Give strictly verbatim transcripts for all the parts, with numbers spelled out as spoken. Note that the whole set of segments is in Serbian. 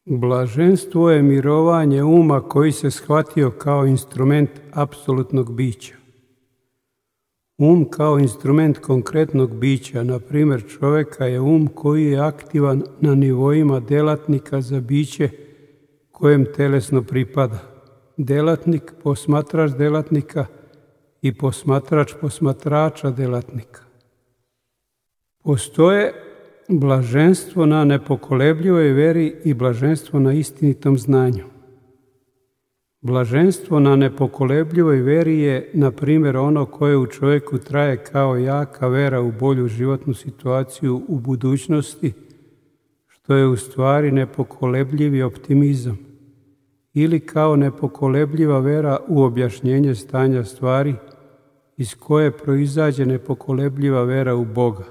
Blaženstvo je mirovanje uma koji se shvatio kao instrument apsolutnog bića. Um kao instrument konkretnog bića, na primjer čovjeka, je um koji je aktivan na nivoima delatnika za biće kojem telesno pripada. Delatnik, posmatrač delatnika i posmatrač posmatrača delatnika. Postoje blaženstvo na nepokolebljivoj veri i blaženstvo na istinitom znanju. Blaženstvo na nepokolebljivoj veri je, na primjer, ono koje u čovjeku traje kao jaka vera u bolju životnu situaciju u budućnosti, što je u stvari nepokolebljivi optimizam, ili kao nepokolebljiva vera u objašnjenje stanja stvari iz koje proizađe nepokolebljiva vera u Boga,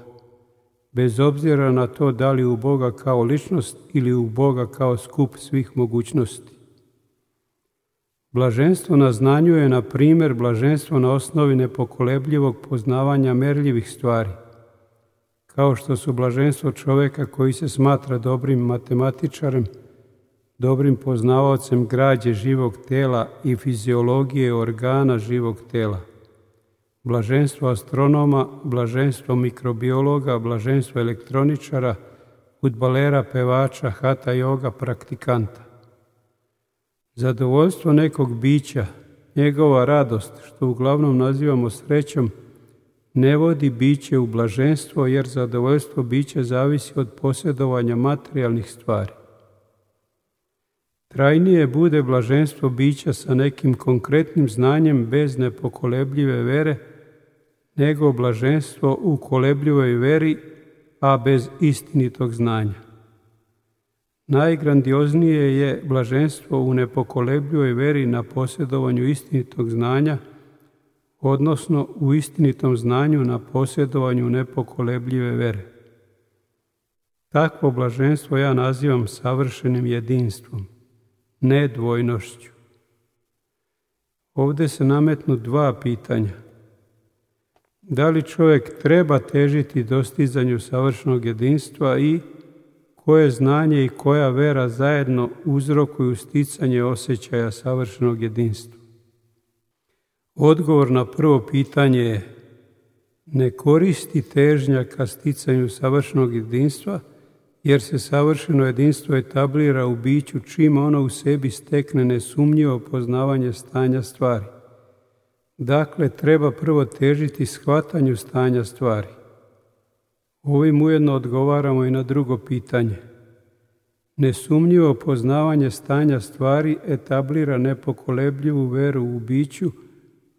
bez obzira na to da li u Boga kao ličnost ili u Boga kao skup svih mogućnosti. Blaženstvo na znanju je, na primjer, blaženstvo na osnovi nepokolebljivog poznavanja merljivih stvari, kao što su blaženstvo čovjeka koji se smatra dobrim matematičarem, dobrim poznavaocem građe živog tela i fiziologije organa živog tela, blaženstvo astronoma, blaženstvo mikrobiologa, blaženstvo elektroničara, fudbalera, pevača, hata joga, praktikanta. Zadovoljstvo nekog bića, njegova radost, što uglavnom nazivamo srećom, ne vodi biće u blaženstvo, jer zadovoljstvo bića zavisi od posjedovanja materijalnih stvari. Trajnije bude blaženstvo bića sa nekim konkretnim znanjem bez nepokolebljive vere, nego blaženstvo u kolebljivoj veri, a bez istinitog znanja. Najgrandioznije je blaženstvo u nepokolebljivoj veri na posjedovanju istinitog znanja, odnosno u istinitom znanju na posjedovanju nepokolebljive vere. Takvo blaženstvo ja nazivam savršenim jedinstvom, nedvojnošću. Ovdje se nametnu dva pitanja. Da li čovjek treba težiti dostizanju savršenog jedinstva i koje znanje i koja vera zajedno uzrokuju sticanje osjećaja savršenog jedinstva? Odgovor na prvo pitanje je: ne koristi težnja ka sticanju savršenog jedinstva, jer se savršeno jedinstvo etablira u biću čim ono u sebi stekne nesumnjivo poznavanje stanja stvari. Dakle, treba prvo težiti shvatanju stanja stvari. Ovim ujedno odgovaramo i na drugo pitanje. Nesumnjivo poznavanje stanja stvari etablira nepokolebljivu veru u biću,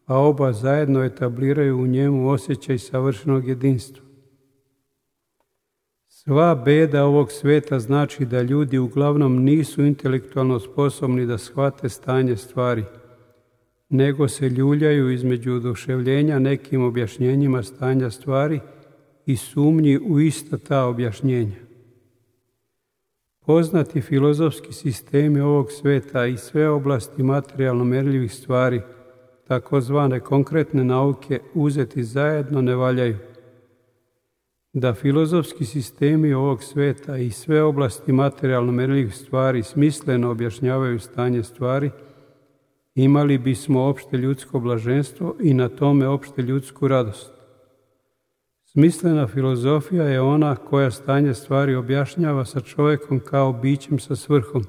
a oba zajedno etabliraju u njemu osjećaj savršenog jedinstva. Sva beda ovog sveta znači da ljudi uglavnom nisu intelektualno sposobni da shvate stanje stvari, nego se ljuljaju između oduševljenja nekim objašnjenjima stanja stvari i sumnji u ista ta objašnjenja. Poznati filozofski sistemi ovog sveta i sve oblasti materijalno merljivih stvari, takozvane konkretne nauke, uzeti zajedno ne valjaju. Da filozofski sistemi ovog sveta i sve oblasti materijalno merljivih stvari smisleno objašnjavaju stanje stvari, imali bismo opšte ljudsko blaženstvo i na tome opšte ljudsku radost. Smislena filozofija je ona koja stanje stvari objašnjava sa čovjekom kao bićem sa svrhom,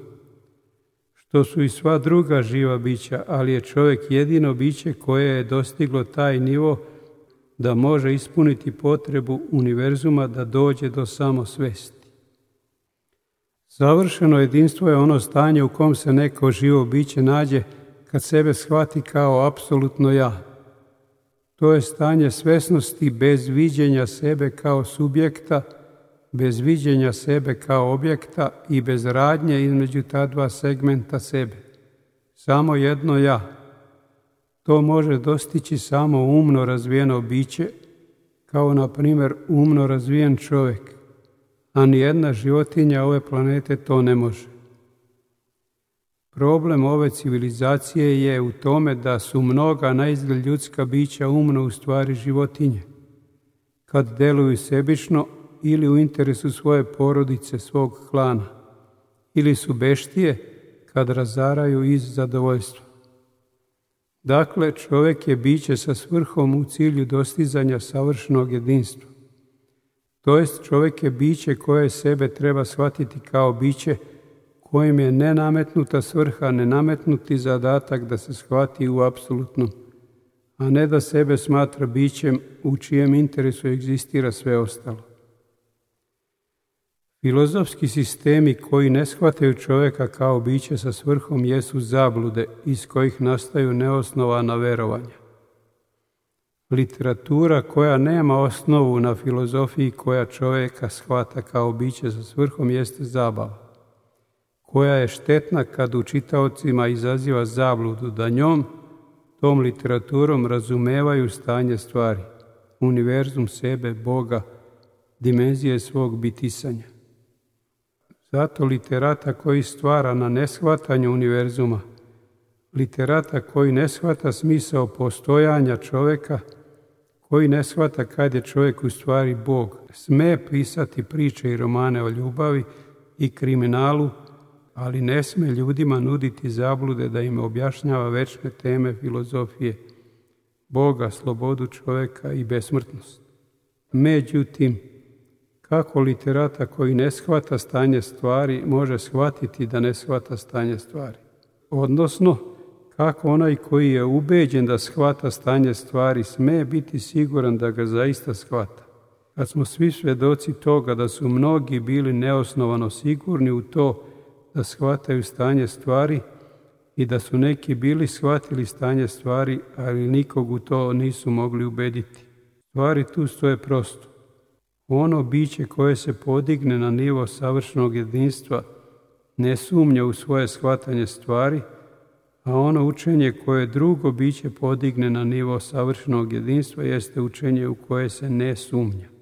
što su i sva druga živa bića, ali je čovjek jedino biće koje je dostiglo taj nivo da može ispuniti potrebu univerzuma da dođe do samosvesti. Savršeno jedinstvo je ono stanje u kom se neko živo biće nađe kad sebe shvati kao apsolutno ja. To je stanje svesnosti bez viđenja sebe kao subjekta, bez viđenja sebe kao objekta i bez radnje između ta dva segmenta sebe. Samo jedno ja. To može dostići samo umno razvijeno biće, kao na primjer umno razvijen čovjek, a nijedna životinja ove planete to ne može. Problem ove civilizacije je u tome da su mnoga naizgled ljudska bića umno u stvari životinje, kad deluju sebično ili u interesu svoje porodice, svog klana, ili su beštije kad razaraju iz zadovoljstva. Dakle, čovjek je biće sa svrhom u cilju dostizanja savršenog jedinstva. To jest, čovjek je biće koje sebe treba shvatiti kao biće kojem je nenametnuta svrha, nenametnuti zadatak da se shvati u apsolutnom, a ne da sebe smatra bićem u čijem interesu egzistira sve ostalo. Filozofski sistemi koji ne shvataju čovjeka kao biće sa svrhom jesu zablude iz kojih nastaju neosnovana verovanja. Literatura koja nema osnovu na filozofiji koja čovjeka shvata kao biće sa svrhom jeste zabava, koja je štetna kad u čitaocima izaziva zabludu da njom, tom literaturom razumevaju stanje stvari, univerzum sebe, Boga, dimenzije svog bitisanja. Zato literata koji stvara na neshvatanju univerzuma, literata koji ne shvata smisao postojanja čovjeka, koji ne shvata kad je čovjek u stvari Bog, sme pisati priče i romane o ljubavi i kriminalu, ali ne sme ljudima nuditi zablude da im objašnjava večne teme filozofije, Boga, slobodu čovjeka i besmrtnost. Međutim, kako literata koji ne shvata stanje stvari može shvatiti da ne shvata stanje stvari? Odnosno, kako onaj koji je ubeđen da shvata stanje stvari sme biti siguran da ga zaista shvata? Kad smo svi svedoci toga da su mnogi bili neosnovano sigurni u to da shvataju stanje stvari i da su neki bili shvatili stanje stvari, ali nikog u to nisu mogli ubediti. Stvari tu stoje prosto. Ono biće koje se podigne na nivo savršenog jedinstva ne sumnja u svoje shvatanje stvari, a ono učenje koje drugo biće podigne na nivo savršenog jedinstva jeste učenje u koje se ne sumnja.